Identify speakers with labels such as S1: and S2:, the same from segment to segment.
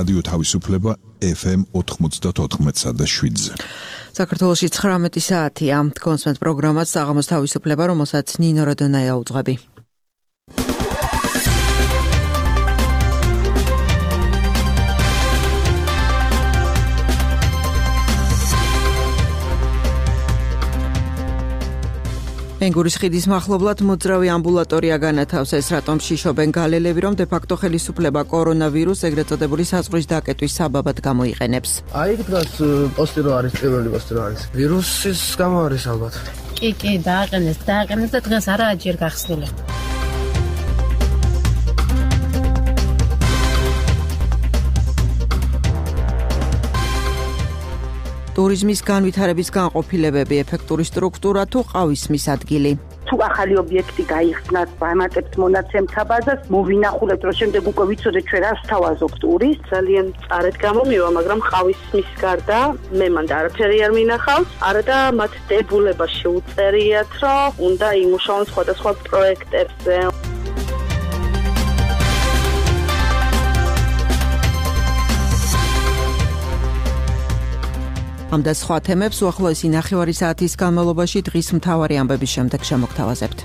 S1: რადიო თავისუფლება FM 94.7-ზე.
S2: საქართველოში 19 საათია. კონსვენთ პროგრამას საღამოს თავისუფლება, რომელსაც ნინო როდონაია უძღვები. ენგურის ხიდის მახლობლად მოძრავი ამბულატორია განათავსეს, რატომ შიშობენ გალელები, რომ დე-ფაქტო ხელისუფლება კორონავირუსს ეგრეთ წოდებული საზღვრის დაკეტვის საბაბად გამოიყენებს.
S3: აი იქ დგას პოსტი რო არის, პირველი პოსტი რო არის. ვირუსის გამო არის ალბათ.
S4: კი, დააყენეს და დღეს არაა ჯერ გახსნილი.
S2: ტურიზმის განვითარების განყოფილებები, ეფექტური სტრუქტურა თუ ყავისმის ადგილი.
S5: თუ ახალი ობიექტი გაიხსნათ, ვამატებთ მონაცემთა ბაზას, მოვინახულებთ, რომ შემდეგ უკვე ვიცოდეთ ჩვენ რას თავაზობთ ტურის.
S6: ძალიან წარეთ გამომივა, მაგრამ ყავისმის გარდა მე მანდ არაფერი არ მინახავს. არა და მათ დებულება შეუწერიათ, რომ უნდა იმუშაონ სხვადასხვა პროექტებზე.
S2: ამ და სხვა თემებს უახლოესი ნახევარი საათის განმავლობაში დღის მთავარი ამბების შემდეგ შემოგთავაზებთ.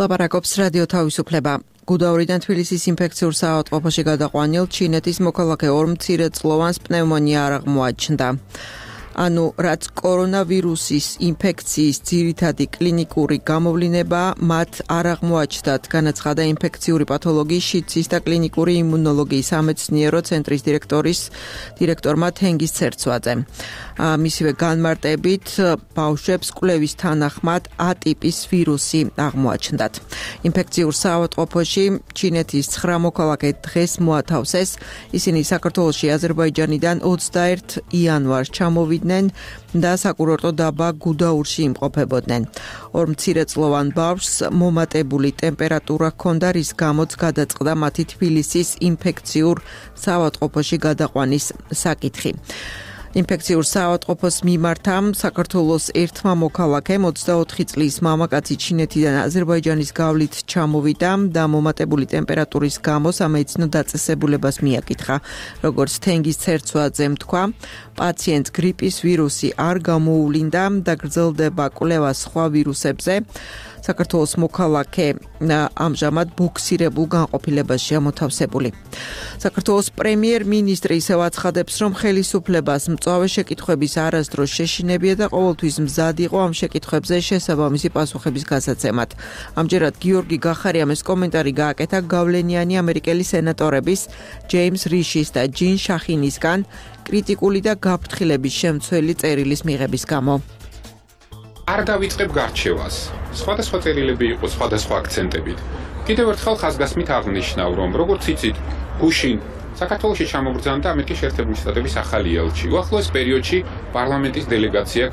S2: ლაპარაკობს რადიო თავისუფლება. გუდაურიდან თბილისის ინფექციურ საავადმყოფოში გადაყვანილ ჩინეთის მოქალაქე ორ მცირეწლოვანს პნევმონია არ აღმოაჩნდა. ანუ რაც კორონავირუსის ინფექციის ძირითადი კლინიკური გამოვლინება მათ არ აღმოაჩნდათ, განაცხადა ინფექციური პათოლოგიის, შიდსის და კლინიკური იმუნოლოგიის სამეცნიერო ცენტრის დირექტორმა თენგიზ ცერცვაძემ. მისივე განმარტებით ბავშვებს კვლევის თანახმად A ტიპის ვირუსი აღმოაჩნდათ. ინფექციურ საავადმყოფოში ჩინეთის 9 მოქალაქე დღეს მოათავსეს. ისინი საქართველოში აზერბაიჯანიდან 21 იანვარს ჩამოვიდნენ და საკურორტო დაბა გუდაურში იმყოფებოდნენ. ორ მცირეწლოვან ბავშვს მომატებული ტემპერატურა ჰქონდა, რის გამოც გადაწყდა მათი თბილისის ინფექციურ საავადმყოფოში გადაყვანის საკითხი. ინფექციურ საავადმყოფოს მიმართა საქართველოს ერთმა მოქალაქემ 24 წლის მამაკაცი ჩინეთიდან აზერბაიჯანის გავლით ჩამოვიდა და მომატებული ტემპერატურის გამო სამედიცინო დაწესებულებას მიაკითხა. როგორც თენგიზ ცერცვაძემ თქვა, პაციენტს გრიპის ვირუსი არ გამოუვლინდა და გრძელდება კვლევა სხვა ვირუსებზე. საქართველოს მოქალაქე ამჟამად ბუქსირებულ განყოფილებაშია მოთავსებული. საქართველოს პრემიერ-მინისტრი ისევ აცხადებს, რომ ხელისუფლებას მწვავე შეკითხვების არასდროს შეშინებია და ყოველთვის მზად იყო ამ შეკითხვებზე შესაბამისი პასუხების გასაცემად. ამჯერად გიორგი გახარიამ ეს კომენტარი გააკეთა გავლენიანი ამერიკელი სენატორების ჯეიმს რიშის და ჯინ შახინისგან კრიტიკული და გაფრთხილების შემცველი წერილის მიღების გამო.
S7: არ დავიწყებ გარჩევას. სხვადასხვა წერილები იყო სხვადასხვა აქცენტებით. კიდევ ერთხელ ხაზგასმით აღნიშნავ, რომ როგორც იცით, გუშინ საქართველოში ჩამოგბრძანდა ამერიკის შეერთებული შტატების ახალი ელჩი. უახლოეს პერიოდში პარლამენტის დელეგაცია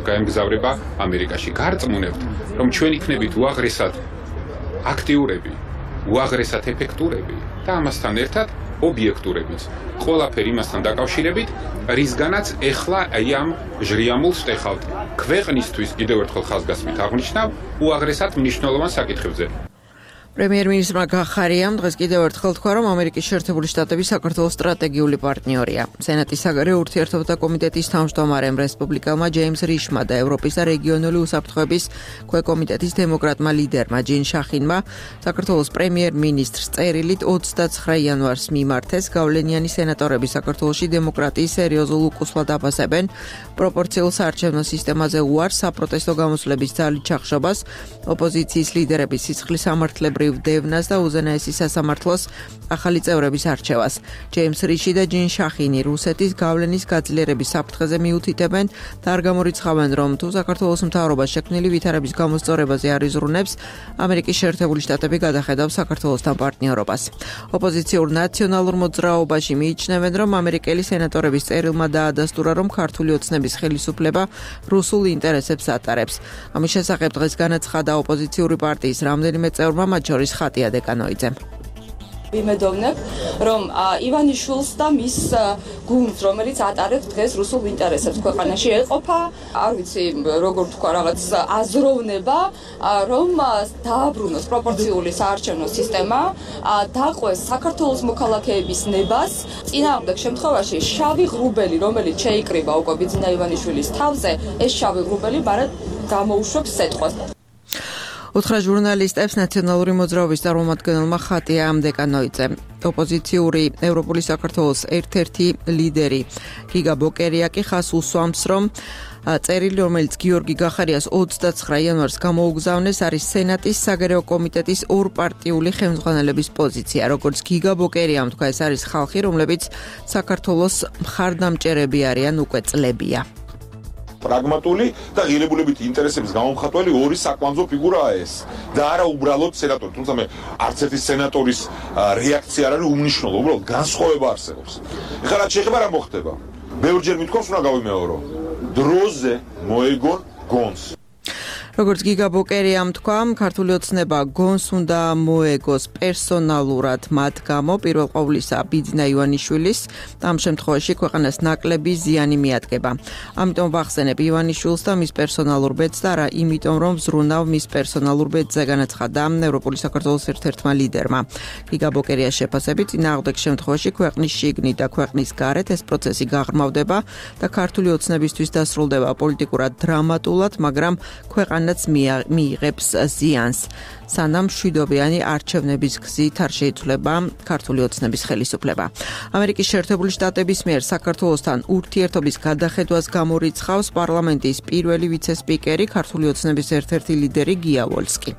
S7: გაემგზავრება ამერიკაში. გარწმუნებთ, რომ ჩვენ იქნებით უაღრესად აქტიურები, უაღრესად ეფექტურები და ამასთან ერთად ობიექტურებიც. ყველაფერი იმასთან დაკავშირებით, რისგანაც ეხლა ამ ჟრიამულს ვტეხავთ. ქვეყნისთვის კიდევ ერთხელ ხაზგასმით აღნიშნავ უაღრესად მნიშვნელოვან საკითხებზე.
S2: პრემიერ-მინისტრმა გახარიამ დღეს კიდევ ერთხელ თქვა, რომ ამერიკის შეერთებული შტატები საქართველოს სტრატეგიული პარტნიორია. სენატის საგარეო ურთიერთობათა კომიტეტის თავმჯდომარემ რესპუბლიკელმა ჯეიმს რიშმა და ევროპის და რეგიონული უსაფრთხოების ქვეკომიტეტის დემოკრატმა ლიდერმა ჯინ შახინმა საქართველოს პრემიერ-მინისტრს წერილით 29 იანვარს მიმართეს. გავლენიანი სენატორები საქართველოში დემოკრატიის სერიოზულ უკუსლად აფასებენ პროპორციულ საარჩევნო სისტემაზე უარს, საპროტესტო გამოსვლების ძალით ჩახშობას, ოპოზიციის ლიდერების სისხლის სამართლებრივ დევნას და უზენაესი სასამართლოს ახალი წევრების არჩევას. ჯეიმს რიში და ჯინ შახინი რუსეთის გავლენის გაძლიერების საფრთხეზე მიუთითებენ და არ გამორიცხავენ, რომ თუ საქართველოს მთავრობა შექმნილი ვითარების გამოსწორებაზე არ იზრუნებს, ამერიკის შეერთებული შტატები გადახედავს საქართველოსთან პარტნიორობას. ოპოზიციურ ნაციონალურ მოძრაობაში მიიჩნევენ, რომ ამერიკელი სენატორების წერილმა დაადასტურა, რომ ქართული ოცნების ხელისუფლება რუსულ ინტერესებს ატარებს. ამის შესახებ დღეს განაცხადა ოპოზიციური პარტიის რამდენიმე წევრმა, მათ შორის ხატია დეკანოიძემ.
S8: ვიმედოვნებ, რომ ივანიშვილს და მის გუნდს, რომელიც ატარებს დღეს რუსულ ინტერესებს ქვეყანაში, ეყოფა, არ ვიცი, როგორ თქვა, რაღაც აზროვნება, რომ დააბრუნოს პროპორციული საარჩევნო სისტემა, დაყვეს საქართველოს მოქალაქეების ნებას, წინააღმდეგ შემთხვევაში შავი ღრუბელი, რომელიც შეიკრიბა უკვე ბიძინა ივანიშვილის თავზე, ეს შავი ღრუბელი მარად გამოუშვებს სეტყვას.
S2: უთხრა ჟურნალისტებს ნაციონალური მოძრაობის წარმომადგენელმა ხატია დეკანოიძე. ოპოზიციური ევროპული საქართველოს ერთ-ერთი ლიდერი გიგა ბოკერია კი ხას უსვამს, რომ წერილი, რომელიც გიორგი გახარიას 29 იანვარს გამოუგზავნეს, არის სენატის საგარეო კომიტეტის ორპარტიული ხელმძღვანელების პოზიცია. როგორც გიგა ბოკერიამ თქვა, ეს არის ხალხი, რომლებიც საქართველოს მხარდამჭერები არიან უკვე წლებია.
S9: პრაგმატული და ღირებულებითი ინტერესების გამომხატველი ორი საკვანძო ფიგურაა ეს და არა უბრალოდ სენატორი. თუმცა მე არც ერთი სენატორის რეაქცია არ არის უმნიშვნელო, უბრალოდ განსხვავება არსებობს. ეხლა რაც შეეხება რა მოხდება? ბევრჯერ მithქვას უნდა გავიმეორო. დროზე მოეგონ გონს.
S2: როგორც გიგა ბოკერიამ თქვა, ქართული ოცნება გონს უნდა მოეგოს პერსონალურად მათ გამო, პირველ ყოვლისა ბიძინა ივანიშვილის, ამ შემთხვევაში ქვეყანას ნაკლები ზიანი მიადგება. ამიტომ ვახსენებ ივანიშვილს და მის პერსონალურ ბედს და არა იმიტომ, რომ ზრუნავ მის პერსონალურ ბედზე, განაცხადა ევროპული საქართველოს ერთ-ერთმა ლიდერმა. გიგა ბოკერიას შეფასებით, წინააღმდეგ შემთხვევაში ქვეყნის შიგნით და ქვეყნის გარეთ ეს პროცესი გაღრმავდება და ქართული ოცნებისთვის დასრულდება პოლიტიკურად დრამატულად, მაგრამ ქვეყანაც მიიღებს ზიანს. სანამ მშვიდობიანი არჩევნების გზით არ შეიცვლება ქართული ოცნების ხელისუფლება. ამერიკის შეერთებული შტატების მიერ საქართველოსთან ურთიერთობის გადახედვას გამორიცხავს პარლამენტის პირველი ვიცე-სპიკერი, ქართული ოცნების ერთ-ერთი ლიდერი გია ვოლსკი.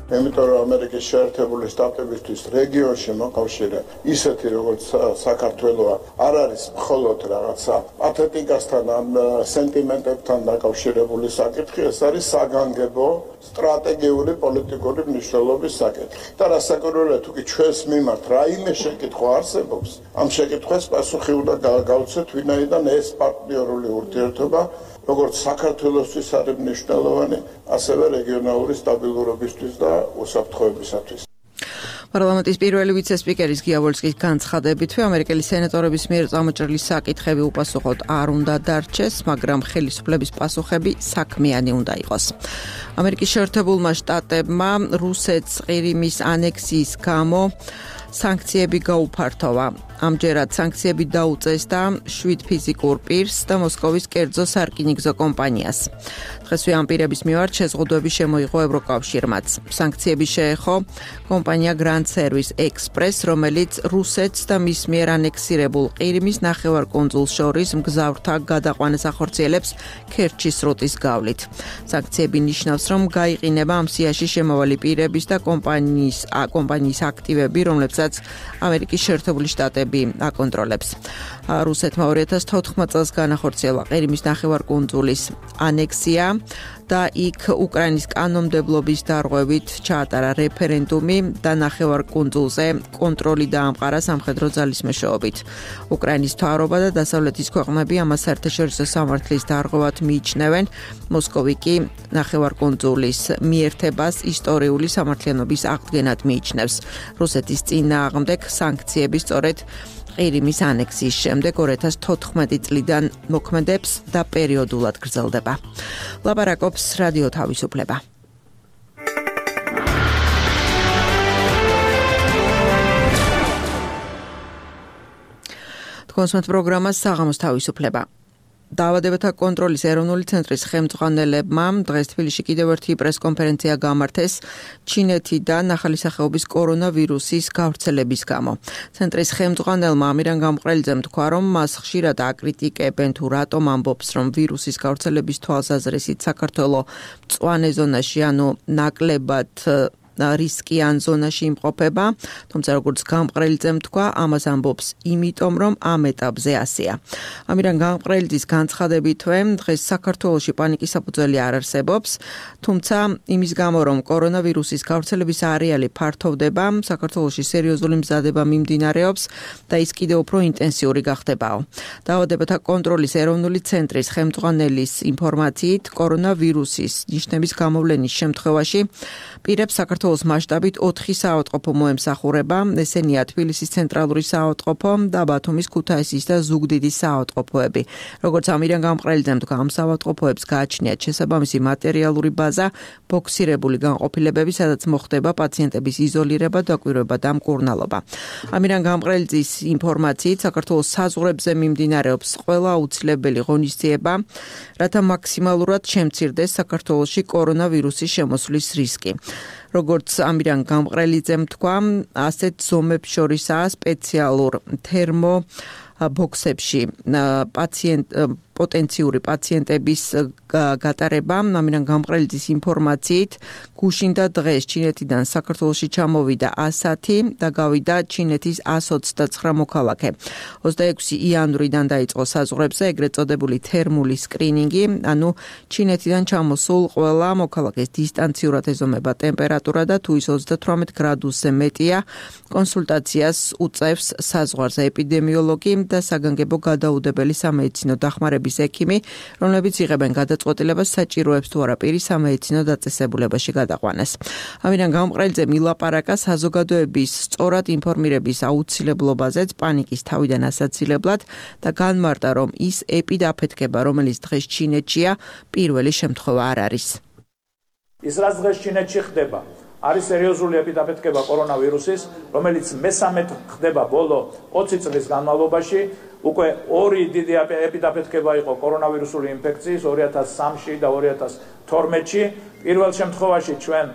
S10: Იმიტომ რომ ამერიკის შეერთებული შტატებისთვის რეგიონში მოკავშირე ისეთი როგორც საქართველოა არ არის მხოლოდ რაღაცა პათეტიკასთან ან სენტიმენტებთან დაკავშირებული საკითხი, ეს არის საგანგებო სტრატეგიული პოლიტიკური მნიშვნელობის საკითხი. და რასაკვირველია, თუ კი ჩვენს მიმართ რაიმე შეკითხვა არსებობს, ამ შეკითხვას პასუხი უნდა გავცეთ, ვინაიდან ეს პარტნიორული ურთიერთობა როგორც საქართველოსთვის არის მნიშვნელოვანი, ასევე რეგიონალური სტაბილურობისთვის და უსაფრთხოებისათვის.
S2: პარლამენტის პირველი ვიცე-სპიკერის გია ვოლსკის განცხადებით, ამერიკელი სენატორების მიერ წამოჭრილი საკითხები უპასუხოდ არ უნდა დარჩეს, მაგრამ ხელისუფლების პასუხები საქმიანი უნდა იყოს. ამერიკის შეერთებულმა შტატებმა რუსეთს ყირიმის ანექსიის გამო სანქციები გაუფართოვა. ამჯერად სანქციები დაუწეს და 7 ფიზიკურ პირს და მოსკოვის კერძო სარკინიგზო კომპანიას. დღესვე ამ პირების მიმართ შეზღუდვები შემოიღო ევროკავშირმაც. სანქციები შეეხო კომპანია Grand Service Express, რომელიც რუსეთს და მის მიერ ანექსირებულ ყირიმის ნახევარკუნძულს შორის მგზავრთა გადაყვანას ახორციელებს ქერჩის სრუტის გავლით. სანქციები ნიშნავს, რომ გაიყინება ამ სიაში შემავალი პირების და კომპანიის აქტივები, რომლებსაც ამერიკის შეერთებული შტატები აკონტროლებს. რუსეთმა 2014 წელს განახორციელა ყირიმის ნახევარკუნძულის ანექსია და იქ უკრაინის კანონმდებლობის დარღვევით ჩაატარა რეფერენდუმი და ნახევარკუნძულზე კონტროლი დაამყარა სამხედრო ძალის მეშვეობით. უკრაინის მთავრობა და დასავლეთის ქვეყნები ამას საერთაშორისო სამართლის დარღვევად მიიჩნევენ. მოსკოვი კი ნახევარკუნძულის მიერთებას ისტორიული სამართლიანობის აღდგენად მიიჩნევს. რუსეთის წინააღმდეგ სანქციები სწორედ ყირიმის ანექსიის შემდეგ 2014 წლიდან მოქმედებს და პერიოდულად გრძელდება. ლაპარაკობს რადიო თავისუფლება. თქვენს პროგრამას საღამოს თავისუფლება. დაავადებათა კონტროლის ეროვნული ცენტრის ხელმძღვანელებმა დღეს თბილისში კიდევ ერთი პრესკონფერენცია გამართეს ჩინეთიდან ახალი სახეობის კორონავირუსის გავრცელების გამო. ცენტრის ხელმძღვანელმა ამირან გამყრელიძემ თქვა, რომ მას ხშირად აკრიტიკებენ თუ რატომ ამბობს, რომ ვირუსის გავრცელების თვალსაზრისით საქართველო მწვანე ზონაში, ანუ ნაკლებად რისკიან ზონაში იმყოფება, თუმცა როგორც გამყრელიძემ თქვა, ამას ამბობს იმიტომ, რომ ამ ეტაპზე ასეა. ამირან გამყრელიძის განცხადებითვე, დღეს საქართველოში პანიკის საფუძველი არ არსებობს, თუმცა იმის გამო, რომ კორონავირუსის გავრცელების არეალი ფართოვდება, საქართველოში სერიოზული მზადება მიმდინარეობს და ის კიდევ უფრო ინტენსიური გახდებაო. დაავადებათა კონტროლის ეროვნული ცენტრის ხელმძღვანელის ინფორმაციით, კორონავირუსის ნიშნების გამოვლენის შემთხვევაში პირებს საქართველოს საქართველოს მასშტაბით 4 საავადმყოფო მოემსახურება, ესენია თბილისის ცენტრალური საავადმყოფო და ბათუმის ქუთაისის და ზუგდიდის საავადმყოფოები. Როგორც ამირან გამყრელიძემ თქვა, ამ საავადმყოფოებს გააჩნიათ შესაბამისი მატერიალური ბაზა, ბოქსირებული განყოფილებები, სადაც მოხდება პაციენტების იზოლირება, დაკვირვება და მკურნალობა. ამირან გამყრელიძის ინფორმაციით, საქართველოს საზღვრებზე მიმდინარეობს ყველა აუცილებელი ღონისძიება, რათა მაქსიმალურად შემცირდეს საქართველოში კორონავირუსის შემოსვლის რისკი. როგორც ამირან გამყრელიძემ თქვა, ასეთ ზომებს შორისაა სპეციალურ თერმო ბოქსებში პოტენციური პაციენტების გატარება. ამირან გამყრელიძის ინფორმაციით, გუშინ და დღეს ჩინეთიდან საქართველოში ჩამოვიდა 110 და გავიდა ჩინეთის 129 მოქალაქე. 26 იანვრიდან დაიწყო საზღვრებზე ეგრეთ წოდებული თერმული სკრინინგი, ანუ ჩინეთიდან ჩამოსულ ყველა მოქალაქეს დისტანციურად ეზომება ტემპერატურა და თუ ის 38 გრადუსზე მეტია, კონსულტაციას უწევს საზღვარზე ეპიდემიოლოგი და საგანგებო გადაუდებელი სამედიცინო დახმარების ექიმი, რომლებიც იღებენ გადაწყვეტილებას საჭიროებს თუ არა პირის სამედიცინო დაწესებულებაში გადაყვანას. ამირან გამყრელიძემ ილაპარაკა საზოგადოების სწორად ინფორმირების აუცილებლობაზეც პანიკის თავიდან ასაცილებლად და განმარტა, რომ ის ეპიდაფეთქება, რომელიც დღეს ჩინეთშია, პირველი შემთხვევა არ არის.
S11: ის რაც დღეს ჩინეთში ხდება, არის სერიოზული ეპიდაფეთქება კორონავირუსის, რომელიც მესამე ხდება ბოლო 20 წლის განმავლობაში. უკვე ორი დიდი ეპიდაფეთქება იყო კორონავირუსული ინფექციის 2003-ში და 2012-ში. პირველ შემთხვევაში ჩვენ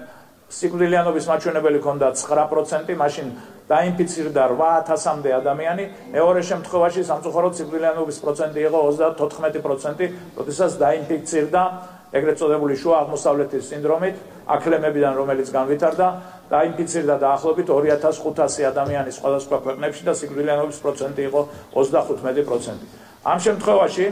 S11: სიკვდილიანობის მაჩვენებელი ჰქონდა 9%, მაშინ დაინფიცირდა 8000-მდე ადამიანი. მეორე შემთხვევაში სამწუხაროდ სიკვდილიანობის პროცენტი იყო 34%, როდესაც დაინფიცირდა ეგრეთ წოდებული შუა აღმოსავლეთის სინდრომით, აქლემებიდან, რომელიც განვითარდა, დაინფიცირდა დაახლოებით 2500 ადამიანი სხვადასხვა ქვეყნებში და სიკვდილიანობის პროცენტი იყო 35%. ამ შემთხვევაში,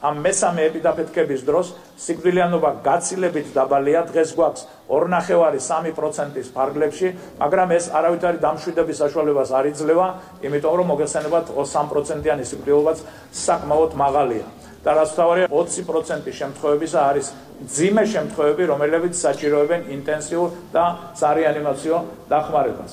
S11: ამ მესამე ეპიდაფეთქების დროს სიკვდილიანობა გაცილებით დაბალია, დღეს გვაქვს 2.5-3%-ის ფარგლებში, მაგრამ ეს არავითარი დამშვიდების საშუალებას არ იძლევა, იმიტომ რომ მოგეხსენებათ 3%-იანი სიკვდილობაც საკმაოდ მაღალია. და რაც თავარია 20% შემთხვევებისა არის ძიმე შემთხვევები, რომლებიც საჭიროებენ ინტენსიურ და სარეანიმაციო დახმარებას.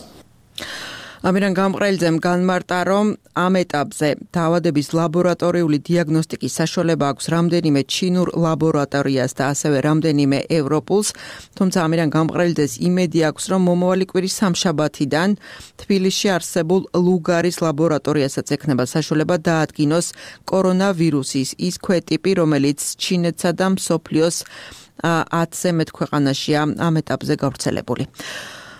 S2: ამირან გამყრელიძემ განმარტა, რომ ამ ეტაპზე დაავადების ლაბორატორიული დიაგნოსტიკის საშუალება აქვს რამდენიმე ჩინურ ლაბორატორიას და ასევე რამდენიმე ევროპულს, თუმცა ამირან გამყრელიძეს იმედი აქვს, რომ მომავალი კვირის სამშაბათიდან თბილისში არსებულ ლუგარის ლაბორატორიასაც ექნება საშუალება დაადგინოს კორონავირუსის ის ქვეტიპი, რომელიც ჩინეთსა და მსოფლიოს 10-ზე მეტ ქვეყანაშია ამ ეტაპზე გავრცელებული.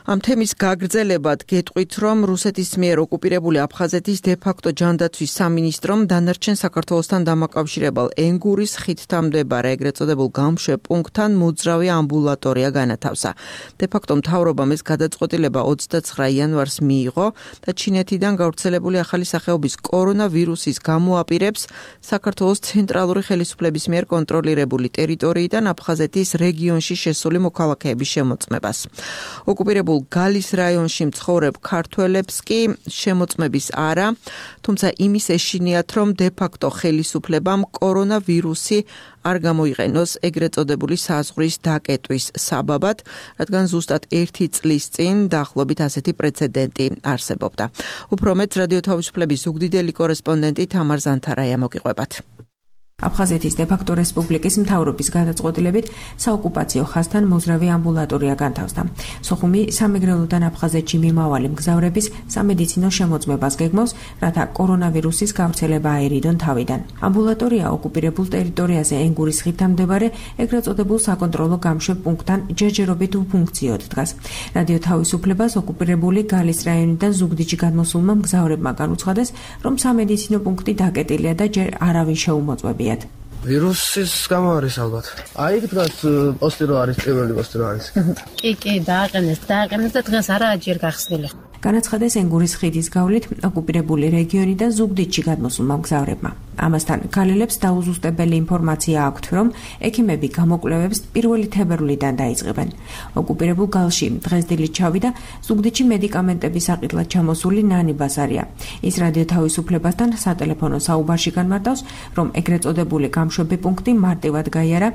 S2: ამ თემის გაგრძელებად გეტყვით, რომ რუსეთის მიერ ოკუპირებული აფხაზეთის დე-ფაქტო ჯანდაცვის სამინისტრომ დანარჩენ საქართველოსთან დამაკავშირებელ ენგურის ხიდთან მდებარე ეგრეთ წოდებულ გამშვებ პუნქტთან მოძრავი ამბულატორია განათავსა. დე-ფაქტო მთავრობამ ეს გადაწყვეტილება 29 იანვარს მიიღო და ჩინეთიდან გავრცელებული ახალი სახეობის კორონავირუსის გამოაპირებს საქართველოს ცენტრალური ხელისუფლების მიერ კონტროლირებული ტერიტორიიდან აფხაზეთის რეგიონში შესული მოქალაქეების შემოწმებას. ოკუპირებულ გალის რაიონში მცხოვრებ ქართველებს კი შემოწმების არა, თუმცა იმის ეშინიათ, რომ დე-ფაქტო ხელისუფლებამ კორონავირუსი არ გამოიყენოს ეგრეთ წოდებული საზღვრის დაკეტვის საბაბად, რადგან ზუსტად 1 წლის წინ დაახლოებით ასეთი პრეცედენტი არსებობდა. უფრო მეტ რადიო თავისუფლების ზუგდიდელი კორესპონდენტი თამარ ზანთარაია მოგიყვებათ. აფხაზეთის დე-ფაქტო რესპუბლიკის მთავრობის გადაწყვეტილებით საოკუპაციო ხაზთან მოძრავი ამბულატორია განთავსდა. სოხუმი სამეგრელოდან აფხაზეთში მიმავალი მგზავრების სამედიცინო შემოწმებას გეგმავს, რათა კორონავირუსის გავრცელება აერიდონ თავიდან. ამბულატორია ოკუპირებულ ტერიტორიაზე ენგურის ხიდთან მდებარე ეგრეთ წოდებულ საკონტროლო გამშვებ პუნქტთან ჯერჯერობით უფუნქციოდ დგას. რადიო თავისუფლებას ოკუპირებული გალის რაიონიდან ზუგდიდში გადმოსულმა მგზავრებმა განუცხადეს, რომ სამედიცინო პუნქტი დაკეტილია და ჯერ არავინ შეუმოწმებია.
S3: ვირუსის გამო არის ალბათ. აი იქ დგას პოსტი რო არის, პირველი პოსტი რო არის.
S4: კი, დააყენეს და დღეს არა ჯერ გახსნილი.
S2: განაცხადეს ენგურის ხიდის გავლით ოკუპირებული რეგიონიდან ზუგდიდში გადმოსულმა მგზავრებმა. ამასთან ქალელებს დაუზუსტებელი ინფორმაცია აქვთ, რომ ექიმები გამოკვლევებს 1 თებერვლიდან დაიწყებენ. ოკუპირებულ გალში დღეს დილით ჩავიდა ზუგდიდში მედიკამენტების საყიდლად ჩამოსული ნანი ბასარია. ის რადიო თავისუფლებასთან სატელეფონო საუბარში განმარტავს, რომ ეგრეთ წოდებული გამშვები პუნქტი მარტივად გაიარა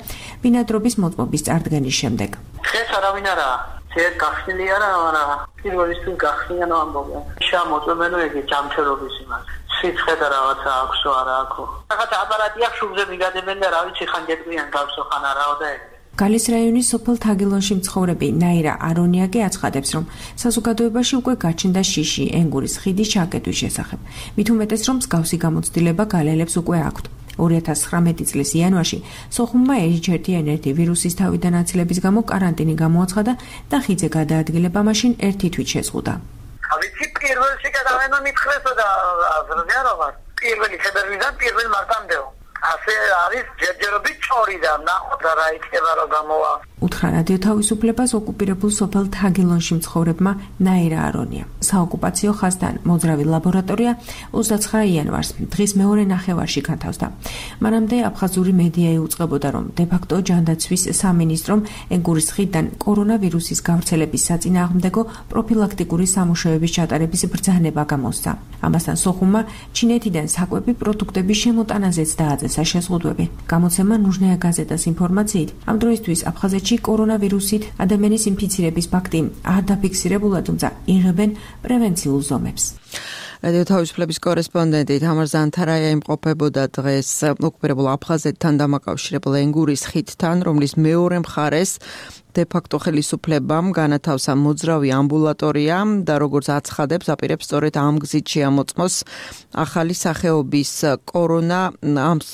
S2: ბინადრობის მოწმობის წარდგენის შემდეგ.
S12: დღეს არავინ არაა. ძერ გახსნილი არა, მაგრამ პირველისთვის გახსნიან ამბობენ. შემოწმენო ეგ ჯამთერობის იმას. სიცხე და რაღაცა აქვსო არა აქო. რაღაცა აპარატი აქვს შუბზე მიგადებენ და რა ვიცი ხან გეტყვიან გავსო ხან არაო და ეგ.
S13: გალის რაიონის სოფელ თაგილონში მცხოვრები ნაირა არონიაკი აცხადებს, რომ საზოგადოებაში უკვე გაჩნდა შიში ენგურის ხიდის ჩაკეტვის შესახებ. მით უმეტეს, რომ მსგავსი გამოცდილება გალელებს უკვე აქვთ. 2019 წლის იანვარში სოხუმმა H1N1 ვირუსის თავიდან აცილების გამო კარანტინი გამოაცხადა და ხიდზე გადაადგილება მაშინ ერთი თვით შეზღუდა.
S12: ვიცი პირველში გადავენა მითხრესო და აზრზიანობა. პირველი თებერვლიდან პირველ მარტამდეო. ასე არის ჯერჯერობით წორი და ნახოთ რა იქნება რა გამოვა.
S13: უთხრა რადიო თავისუფლებას ოკუპირებულ სოფელ თაგილონში მცხოვრებმა ნაირა არონია. საოკუპაციო ხაზთან მოძრავი ლაბორატორია 29 იანვარს დღის მეორე ნახევარში განთავსდა. მანამდე აფხაზური მედია იუწყებოდა, რომ დე-ფაქტო ჯანდაცვის სამინისტრომ ენგურის ხიდიდან კორონავირუსის გავრცელების საწინააღმდეგო პროფილაქტიკური სამუშაოების ჩატარების ბრძანება გამოსცა. ამასთან სოხუმმა ჩინეთიდან საკვები პროდუქტების შემოტანაზეც დააძესა შეზღუდვები. გამოცემა ნუჟნეა გაზეტას ინფორმაციით, ამ დროისთვის აფხაზეთში კორონავირუსით ადამიანის ინფიცირების ფაქტი არ დაფიქსირებულა, თუმცა იღებენ პრევენციულ ზომებს.
S2: რადიო თავისუფლების კორესპონდენტი თამარ ზანთარაია იმყოფებოდა დღეს ოკუპირებულ აფხაზეთთან დამაკავშირებულ ენგურის ხიდთან, რომლის მეორე მხარეს დე-ფაქტო ხელისუფლებამ განათავსა მოძრავი ამბულატორია და როგორც აცხადებს, აპირებს სწორედ ამ გზით შეამოწმოს ახალი სახეობის კორონა,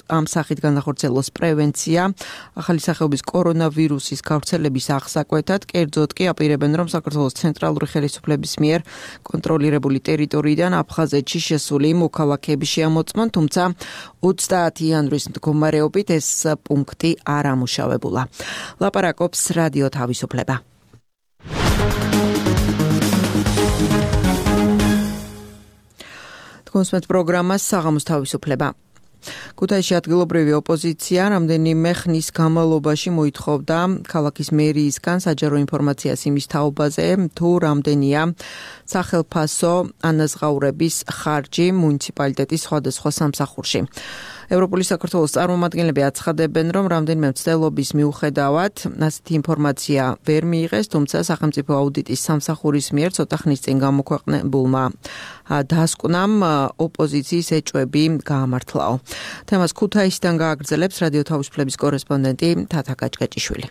S2: ამ სახით განახორციელოს პრევენცია ახალი სახეობის კორონავირუსის გავრცელების აღსაკვეთად, კერძოდ კი აპირებენ, რომ საქართველოს ცენტრალური ხელისუფლების მიერ კონტროლირებული ტერიტორიიდან აფხაზეთში შესული მოქალაქეები შეამოწმონ, თუმცა 30 იანვრის მდგომარეობით ეს პუნქტი არ ამუშავებულა. ლაპარაკობს რადიო თავისუფლება. თქვენს პროგრამას საღამოს თავისუფლება. ქუთაისში ადგილობრივი ოპოზიცია რამდენიმე ხნის განმავლობაში მოითხოვდა ქალაქის მერიისგან საჯარო ინფორმაციას იმის თაობაზე, თუ რამდენია სახელფასო ანაზღაურების ხარჯი მუნიციპალიტეტის სხვადასხვა სამსახურში. ევროპული საქართველოს წარმომადგენლები აცხადებენ, რომ რამდენიმე მცდელობის მიუხედავად ასეთი ინფორმაცია ვერ მიიღეს, თუმცა სახელმწიფო აუდიტის სამსახურის მიერ ცოტა ხნის წინ გამოქვეყნებულმა დასკვნამ ოპოზიციის ეჭვები გაამართლაო. თემას ქუთაისიდან გააგრძელებს რადიო თავისუფლების კორესპონდენტი თათა გაჭგაჭიშვილი.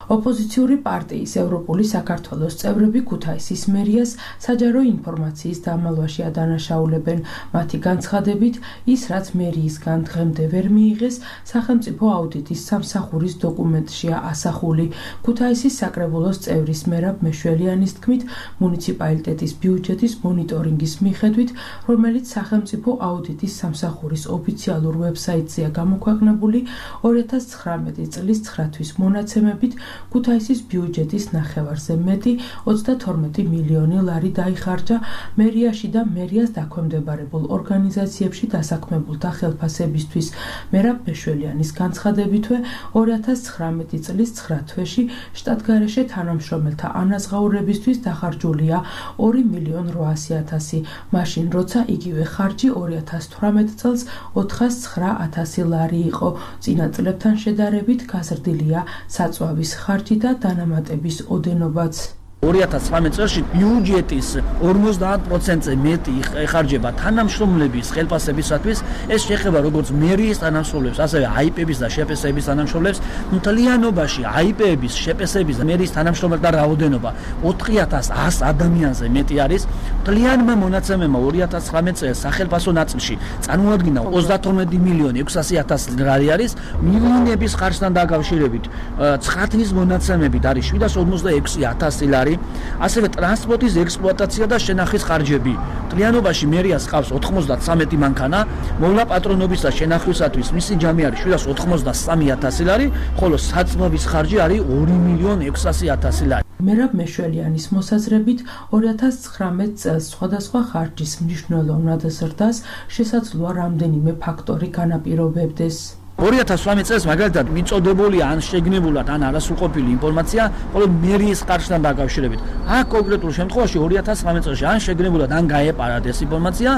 S14: ოპოზიციური პარტიის ევროპული საქართველოს წევრები ქუთაისის მერიას საჯარო ინფორმაციის დამალვაში ადანაშაულებენ. მათი განცხადებით, ის რაც მერიისგან დღემდე ვერ მიიღეს, სახელმწიფო აუდიტის სამსახურის დოკუმენტშია ასახული. ქუთაისის საკრებულოს წევრის მერაბ მეშველიანის თქმით, მუნიციპალიტეტის ბიუჯეტის მონიტორინგის მიხედვით, რომელიც სახელმწიფო აუდიტის სამსახურის ოფიციალურ ვებსაიტზეა გამოქვეყნებული, 2019 წლის 9 თვის მონაცემებით ქუთაისის ბიუჯეტის ნახევარზე მეტი 32 მილიონი ლარი დაიხარჯა მერიაში და მერიას დაქვემდებარებულ ორგანიზაციებში დასაქმებულთა ხელფასებისთვის. მერაბ მეშველიანის განცხადებითვე 2019 წლის 9 თვეში შტატგარეშე თანამშრომელთა ანაზღაურებისთვის დახარჯულია 2.800.000, მაშინ როცა იგივე ხარჯი 2018 წელს 409.000 ლარი იყო. წინა წლებთან შედარებით გაზრდილია საწვავის ხარჯი და დანამატების ოდენობაც.
S15: 2019 წელში ბიუჯეტის 50%-ზე მეტი ეხარჯება თანამშრომლების ხელფასებისათვის. ეს შეეხება როგორც მერიის თანამშრომლებს, ასევე აიპების და შეპესების თანამშრომლებს. მთლიანობაში აიპების, შეპესების და მერიის თანამშრომელთა რაოდენობა 4100 ადამიანზე მეტი არის. მთლიანმა მონაცემებმა 2019 წელს სახელფასო ნაწილში წარმოადგინა 32.600.000 ლარი არის. მილიონების ხარჯთან დაკავშირებით 9 თვის მონაცემებით არის 756.000 ლარი. ასევე ტრანსპორტის ექსპლუატაცია და შენახვის ხარჯები. მთლიანობაში მერიას ყავს 93 მანქანა, მოვლა პატრონობის და შენახვისათვის მისი ჯამი არის 783.000 ლარი, ხოლო საწვავის ხარჯი არის 2.600.000 ლარი.
S14: მერაბ მეშველიანის მოსაზრებით 2019 წელს სხვადასხვა ხარჯის მნიშვნელოვნად ზრდას შესაძლოა რამდენიმე ფაქტორი განაპირობებდეს.
S15: 2018 წელს მაგალითად მიწოდებული ან შეგნებულად ან არასრულყოფილი ინფორმაცია მხოლოდ მერიის ხარჯთან დაკავშირებით. აქ კონკრეტულ შემთხვევაში 2019 წელს ან შეგნებულად ან გაეპარათ ეს ინფორმაცია,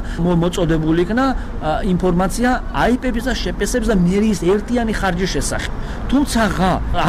S15: მოწოდებული იქნა ინფორმაცია IP-ების და შპს-ების და მერიის ერთიანი ხარჯის შესახებ. თუმცა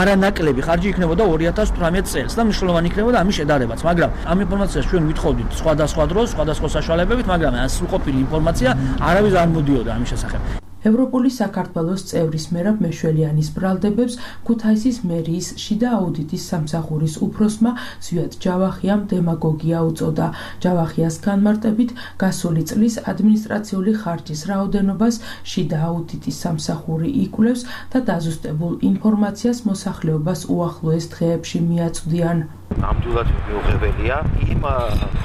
S15: არანაკლები ხარჯი იქნებოდა 2018 წელს და მნიშვნელოვანი იქნებოდა ამის შედარებაც, მაგრამ ამ ინფორმაციას ჩვენ ვითხოვდით სხვადასხვა დროს, სხვადასხვა საშუალებებით, მაგრამ ამ სრულყოფილი ინფორმაცია არავის არ მოდიოდა ამის შესახებ.
S14: ევროპული საქართველოს წევრის მერაბ მეშველიანის ბრალდებებს ქუთაისის მერიის შიდა აუდიტის სამსახურის უფროსმა ზვიად ჯავახიამ დემაგოგია უწოდა. ჯავახიას განმარტებით გასული წლის ადმინისტრაციული ხარჯის რაოდენობას შიდა აუდიტის სამსახური იკვლევს და დაზუსტებულ ინფორმაციას მოსახლეობას უახლოეს დღეებში მიაწვდიან.
S16: ნამდვილად მიუღებელია იმ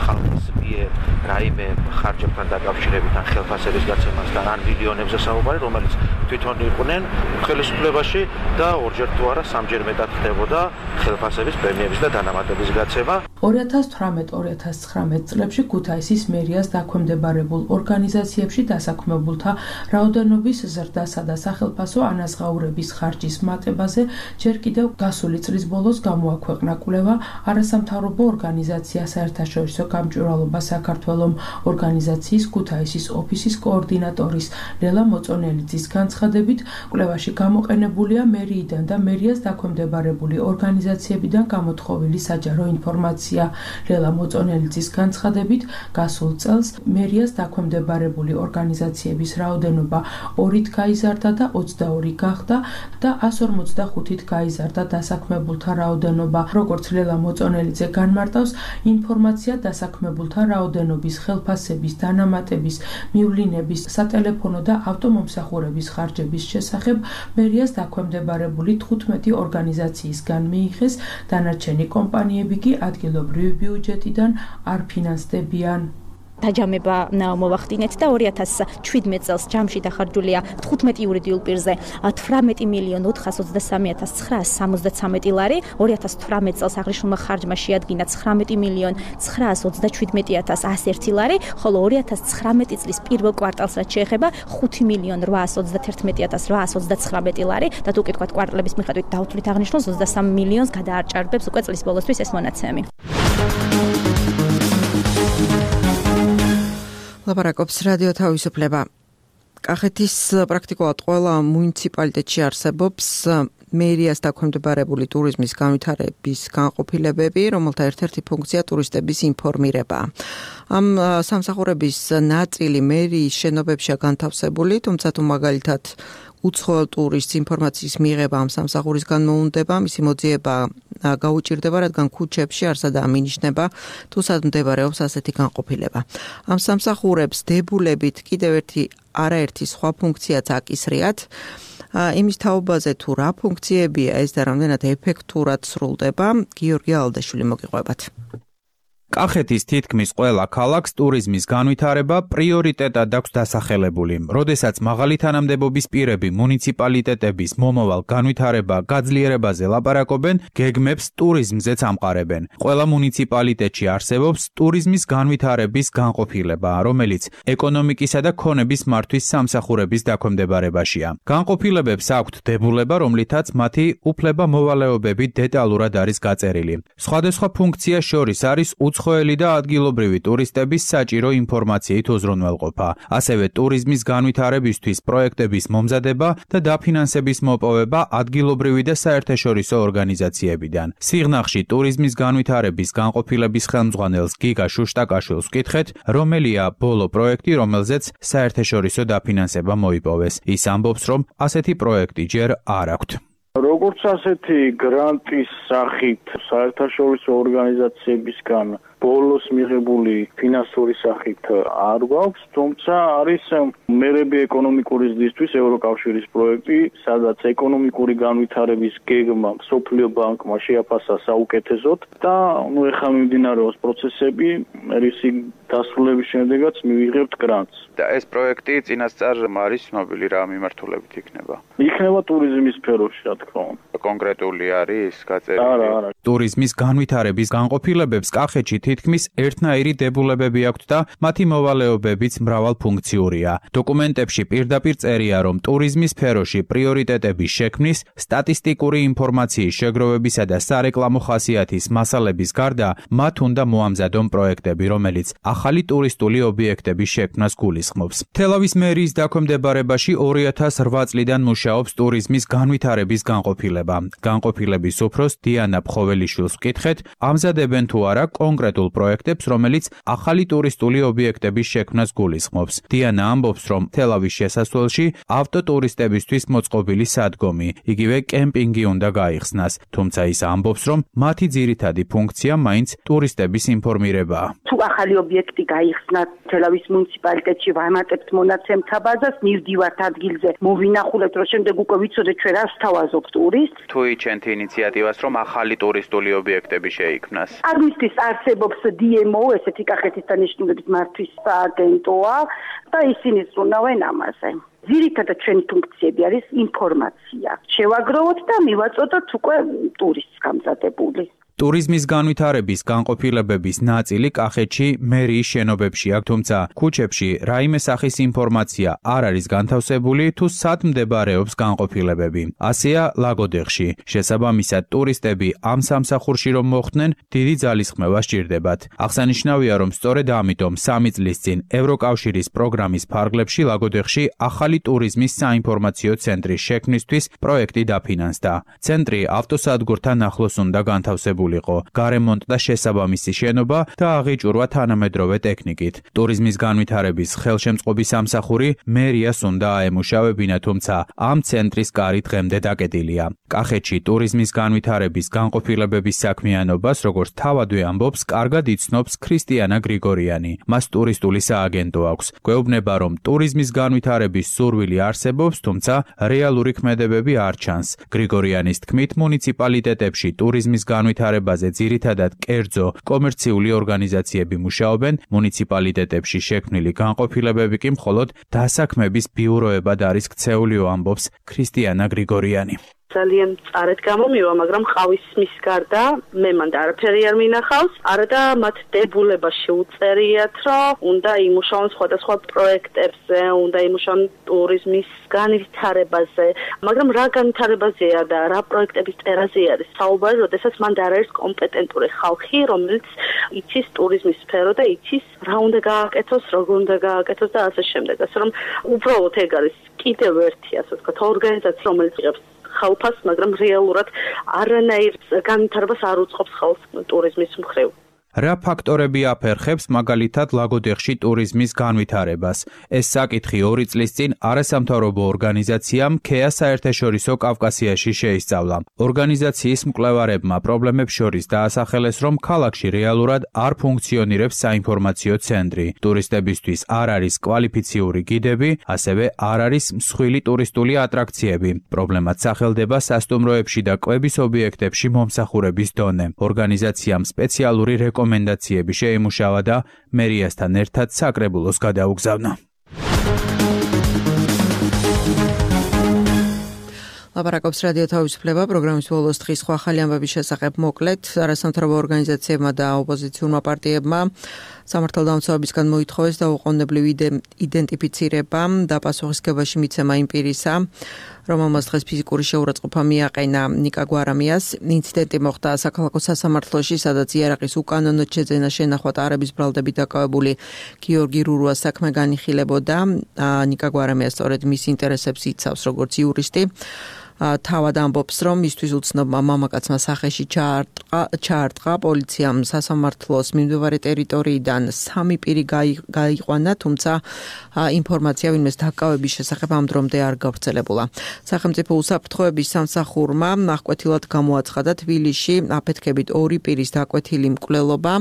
S16: ხალხის მიერ რაიმე ხარჯებთან დაკავშირებით ან ხელფასების გაცემასთან ან მილიონებზე საუბარი, რომელიც თვითონ იყვნენ ხელისუფლებაში და ორჯერ თუ არა სამჯერ მეტად ხდებოდა ხელფასების, პრემიების და დანამატების გაცემა.
S14: 2018-2019 წლებში ქუთაისის მერიას დაქვემდებარებულ ორგანიზაციებში დასაქმებულთა რაოდენობის ზრდასა და სახელფასო ანაზღაურების ხარჯის მატებაზე ჯერ კიდევ გასული წლის ბოლოს გამოაქვეყნა კვლევა არასამთავრობო ორგანიზაცია საერთაშორისო გამჭვირვალობა საქართველოს ორგანიზაციის ქუთაისის ოფისის კოორდინატორის ლელა მოწონელიძის განცხადებით, კვლევაში გამოყენებულია მერიიდან და მერიას დაქვემდებარებული ორგანიზაციებიდან გამოთხოვილი საჯარო ინფორმაცია. ლელა მოწონელიძის განცხადებით, გასულ წელს მერიას დაქვემდებარებული ორგანიზაციების რაოდენობა 2-ით გაიზარდა და 22 გახდა და 155-ით გაიზარდა დასაქმებულთა რაოდენობა. როგორც ლელა მოწონელიძე განმარტავს, ინფორმაცია დასაქმებულთა რაოდენობის, ხელფასების, დანამატების, მივლინების, სატელეფონო და ავტომომსახურების ხარჯების შესახებ მერიას დაქვემდებარებული 15 ორგანიზაციისგან მიიღეს, დანარჩენი კომპანიები კი ადგილობრივი ბიუჯეტიდან არ ფინანსდებიან.
S17: დაჯამება მოვახდინეთ და 2017 წელს ჯამში დახარჯულია 15 იურიდიულ პირზე 18.423.973 ლარი, 2018 წელს აღნიშნულმა ხარჯმა შეადგინა 19.937.101 ლარი, ხოლო 2019 წლის პირველ კვარტალს რაც შეეხება 5.831.829 ლარი და თუ კითხავთ კვარტალების მიხედვით დავთვლით აღნიშნულს 23 მილიონს გადაარჭარბებს უკვე წლის ბოლოსთვის ეს მონაცემი.
S2: ლაპარაკობს რადიო თავისუფლება. კახეთის პრაქტიკულად ყველა მუნიციპალიტეტში არსებობს მერიას დაქვემდებარებული ტურიზმის განვითარების განყოფილებები, რომელთა ერთ-ერთი ფუნქცია ტურისტების ინფორმირება. ამ სამსახურების ნაწილი მერიის შენობებშია განთავსებული, თუმცა თუ მაგალითად უცხოელ ტურისტს ინფორმაციის მიღება ამ სამსახურისგან მოუნდება, მისი მოძიება გაუჭირდება, რადგან ქუჩებში არ სადაა მინიშნება, თუ სად მდებარეობს ასეთი განყოფილება. ამ სამსახურებს დებულებით კიდევ არაერთი სხვა ფუნქციაც აკისრიათ. იმის თაობაზე თუ რა ფუნქციებია ეს და რამდენად ეფექტურად სრულდება, გიორგი ალდაშვილი მოგიყვებათ.
S18: კახეთის თითქმის ყველა ქალაქს ტურიზმის განვითარება პრიორიტეტად აქვს დასახელებული. როდესაც მაღალი თანამდებობის პირები მუნიციპალიტეტების მომავალ განვითარება გაძლიერებაზე ლაპარაკობენ, გეგმებს ტურიზმზეც ამყარებენ. ყველა მუნიციპალიტეტში არსებობს ტურიზმის განვითარების განყოფილება, რომელიც ეკონომიკისა და ქონების მართვის სამსახურების დაქვემდებარებაშია. განყოფილებებს აქვთ დებულება, რომლითაც მათი უფლება-მოვალეობები დეტალურად არის გაწერილი. სხვადასხვა ფუნქცია შორის არის უცხოელი და ადგილობრივი ტურისტების საჭირო ინფორმაციით უზრუნველყოფა, ასევე ტურიზმის განვითარებისთვის პროექტების მომზადება და დაფინანსების მოპოვება ადგილობრივი და საერთაშორისო ორგანიზაციებიდან. სიღნაღში ტურიზმის განვითარების განყოფილების ხელმძღვანელს გიგა შუშტაკაშვილს ვკითხეთ, რომელია ბოლო პროექტი, რომელზეც საერთაშორისო დაფინანსება მოიპოვეს. ის ამბობს, რომ ასეთი პროექტი ჯერ არ აქვთ.
S19: როგორც ასეთი გრანტის სახით საერთაშორისო ორგანიზაციებისგან ბოლოს მიღებული ფინანსური სახით არ გვაქვს, თუმცა არის მერები ეკონომიკური ზრდისთვის ევროკავშირის პროექტი, სადაც ეკონომიკური განვითარების გეგმა მსოფლიო ბანკმა შეაფასა საუკეთესოდ და ეხლა მიმდინარეობს პროცესები, რისი დასრულების შემდეგაც მივიღებთ გრანტს.
S20: და ეს პროექტი წინასწარ არის ცნობილი რა მიმართულებით იქნება?
S19: იქნება ტურიზმის სფეროში, რა თქმა უნდა.
S20: კონკრეტული არის გაწერილი?
S19: არა.
S18: ტურიზმის განვითარების განყოფილებებს კახეთში თითქმის ერთნაირი დებულებები აქვთ და მათი მოვალეობებიც მრავალფუნქციურია. დოკუმენტებში პირდაპირ წერია, რომ ტურიზმის სფეროში პრიორიტეტების შექმნის, სტატისტიკური ინფორმაციის შეგროვებისა და სარეკლამო ხასიათის მასალების გარდა მათ უნდა მოამზადონ პროექტები, რომელიც ახალი ტურისტული ობიექტების შექმნას გულისხმობს. თელავის მერიის დაქვემდებარებაში 2008 წლიდან მუშაობს ტურიზმის განვითარების განყოფილება. განყოფილების უფროს დიანა ფხოველიშვილს ვკითხეთ, ამზადებენ თუ არა კონკრეტულ პროექტებს, რომელიც ახალი ტურისტული ობიექტების შექმნას გულისხმობს. დიანა ამბობს, რომ თელავის შესასვლელში ავტოტურისტებისთვის მოწყობილი სადგომი, იგივე კემპინგი უნდა გაიხსნას, თუმცა ის ამბობს, რომ მათი ძირითადი ფუნქცია მაინც ტურისტების ინფორმირებაა.
S5: თუ ახალი ობიექტი გაიხსნათ თელავის მუნიციპალიტეტში, ვამატებთ მონაცემთა ბაზას, მივდივართ ადგილზე, მოვინახულებთ, რომ შემდეგ უკვე ვიცოდეთ ჩვენ რას თავაზობთ ტურისტს.
S20: თუ იჩენთ ინიციატივას, რომ ახალი ტურისტული ობიექტები შეიქმნას.
S5: ამისთვის არსებობს DMO, ესეთი კახეთის დანიშნულების მართვის სააგენტოა და ისინი ზრუნავენ ამაზე. ძირითადად ჩვენი ფუნქციები არის ინფორმაცია. შევაგროვოთ და მივაწოდოთ უკვე ტურისტს გამზადებული.
S18: ტურიზმის განვითარების განყოფილებების ნაწილი კახეთში მერიის შენობებში აქვს, თუმცა ქუჩებში რაიმე სახის ინფორმაცია არ არის განთავსებული თუ სად მდებარეობს განყოფილებები. ასეა ლაგოდეხში. შესაბამისად, ტურისტები ამ სამსახურში რომ მოხვდნენ, დიდი ძალისხმევა სჭირდებათ. აღსანიშნავია, რომ სწორედ ამიტომ 3 წლის წინ ევროკავშირის პროგრამის ფარგლებში ლაგოდეხში ახალი ტურიზმის საინფორმაციო ცენტრის შექმნისთვის პროექტი დაფინანსდა. ცენტრი ავტოსადგურთან ახლოს უნდა განთავსებული გარემონტ და შესაბამისი შენობა და აღიჭურვა თანამედროვე ტექნიკით. ტურიზმის განვითარების ხელშემწყობის სამსახური მერიას უნდა აემუშავებინა, თუმცა ამ ცენტრის კარი დღემდე დაკეტილია. კახეთში ტურიზმის განვითარების განყოფილებების საქმიანობას, როგორც თავადვე ამბობს, კარგად იცნობს ქრისტიანა გრიგორიანი. მას ტურისტული სააგენტო აქვს. გვეუბნება, რომ ტურიზმის განვითარების სურვილი არსებობს, თუმცა რეალური ქმედებები არ ჩანს. გრიგორიანის თქმით, მუნიციპალიტეტებში ტურიზმის განვითარება ძირითადად კერძო კომერციული ორგანიზაციები მუშაობენ, მუნიციპალიტეტებში შექმნილი განყოფილებები კი მხოლოდ დასაქმების ბიუროებად არის ქცეულიო, ამბობს ქრისტიანა გრიგორიანი.
S6: ძალიან წარეთ გამომივა, მაგრამ ყავის მის გარდა მე მანდ არაფერი არ მინახავს. არა და მათ დებულებაში უწერიათ, რომ უნდა იმუშაონ სხვადასხვა პროექტებზე, უნდა იმუშაონ ტურიზმის განვითარებაზე, მაგრამ რა განვითარებაზეა და რა პროექტების წერაზე არის საუბარი, როდესაც მანდ არ არის კომპეტენტური ხალხი, რომელიც იცის ტურიზმის სფერო და იცის რა უნდა გააკეთოს, როგორ უნდა გააკეთოს და ასე შემდეგ. ასე რომ უბრალოდ ეგ არის კიდევ ერთი, ასე ვთქვათ, ორგანიზაცია, რომელიც იღებს ხალხს, მაგრამ რეალურად არანაირ განვითარებას არ უწყობს ხალხს ტურიზმის მხრივ.
S18: რა ფაქტორები აფერხებს მაგალითად ლაგოდეხში ტურიზმის განვითარებას? ეს საკითხი 2 წლის წინ არასამთავრობო ორგანიზაციამ ქეა საერთაშორისო კავკასიაში შეისწავლა. ორგანიზაციის მკვლევარებმა პრობლემებს შორის დაასახელეს, რომ ქალაქში რეალურად არ ფუნქციონირებს საინფორმაციო ცენტრი. ტურისტებისთვის არ არის კვალიფიციური გიდები, ასევე არ არის მსხვილი ტურისტული ატრაქციები. პრობლემაც სახელდება სასტუმროებში და კვების ობიექტებში მომსახურების დონე. ორგანიზაციამ სპეციალური რეკომენდაციები შეიმუშავა და მერიასთან ერთად საკრებულოს გადაუგზავნა.
S2: ლაპარაკობს რადიო თავისუფლება, პროგრამის ბოლოს დღის სხვა ახალი ამბების შესახებ მოკლედ. არასამთავრობო ორგანიზაციებმა და ოპოზიციურმა პარტიებმა სამართალდამცავებისგან მოითხოვეს დაუყოვნებლივ იდენტიფიცირება და პასუხისგებაში მიცემა იმ პირისა, რომელმაც დღეს ფიზიკური შეურაცხყოფა მიაყენა ნიკა გვარამიას. ინციდენტი მოხდა საქალაქო სასამართლოში, სადაც იარაღის უკანონოდ შეძენა შენახვა ტარების ბრალდებით დაკავებული გიორგი რურუას საქმე განიხილებოდა. ნიკა გვარამია სწორედ მის ინტერესებს იცავს როგორც იურისტი. თავად ამბობს, რომ მისთვის უცნობმა მამაკაცმა სახეში ჩაარტყა, პოლიციამ სასამართლოს მიმდებარე ტერიტორიიდან 3 პირი გაიყვანა, თუმცა ინფორმაცია ვინმეს დაკავების შესახებ ამ დრომდე არ გავრცელებულა. სახელმწიფო უსაფრთხოების სამსახურმა აღკვეთილად გამოაცხადა თბილისში აფეთქებით 2 პირის დაკვეთილი მკვლელობა.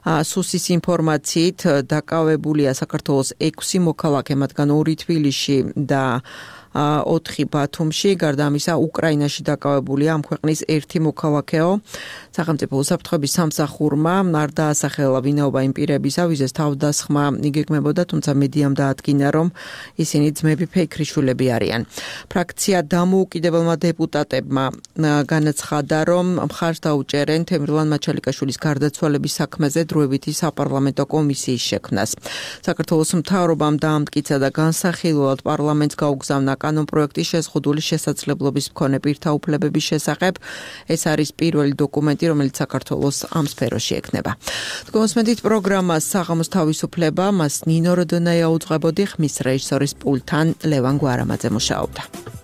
S2: სუსის ინფორმაციით დაკავებულია საქართველოს 6 მოქალაქე, მათგან 2 თბილისში და 4 ბათუმში, გარდა ამისა უკრაინაში დაკავებულია ამ ქვეყნის ერთი მოქალაქეო. სახელმწიფო უსაფრთხოების სამსახურმა არ დაასახელა ვინაობა იმ პირებისა, ვიზეს თავდასხმა იგეგმებოდა, თუმცა მედიამ დაადგინა, რომ ისინი ძმები ფეიქრიშვილები არიან. ფრაქცია დამოუკიდებელმა დეპუტატებმა განაცხადა, რომ მხარს დაუჭერენ თემრლან მაჩალიკაშვილის გარდაცვალების საქმეზე დროებითი საპარლამენტო კომისიის შექმნას. საქართველოს მთავრობამ დაამტკიცა და განსახილველად პარლამენტს გაუგზავნა კანონპროექტის შეზღუდული შესაძლებლობის მქონე პირთა უფლებების შესახებ. ეს არის პირველი დოკუმენტი, რომელიც საქართველოს ამ სფეროში ექნება. თქვენსმენთ პროგრამას საღამოს თავისუფლება, მას ნინო როდონაია უძღვებოდი, ხმის რეჟისორის პულტთან ლევან გვარამაძე მუშაობდა.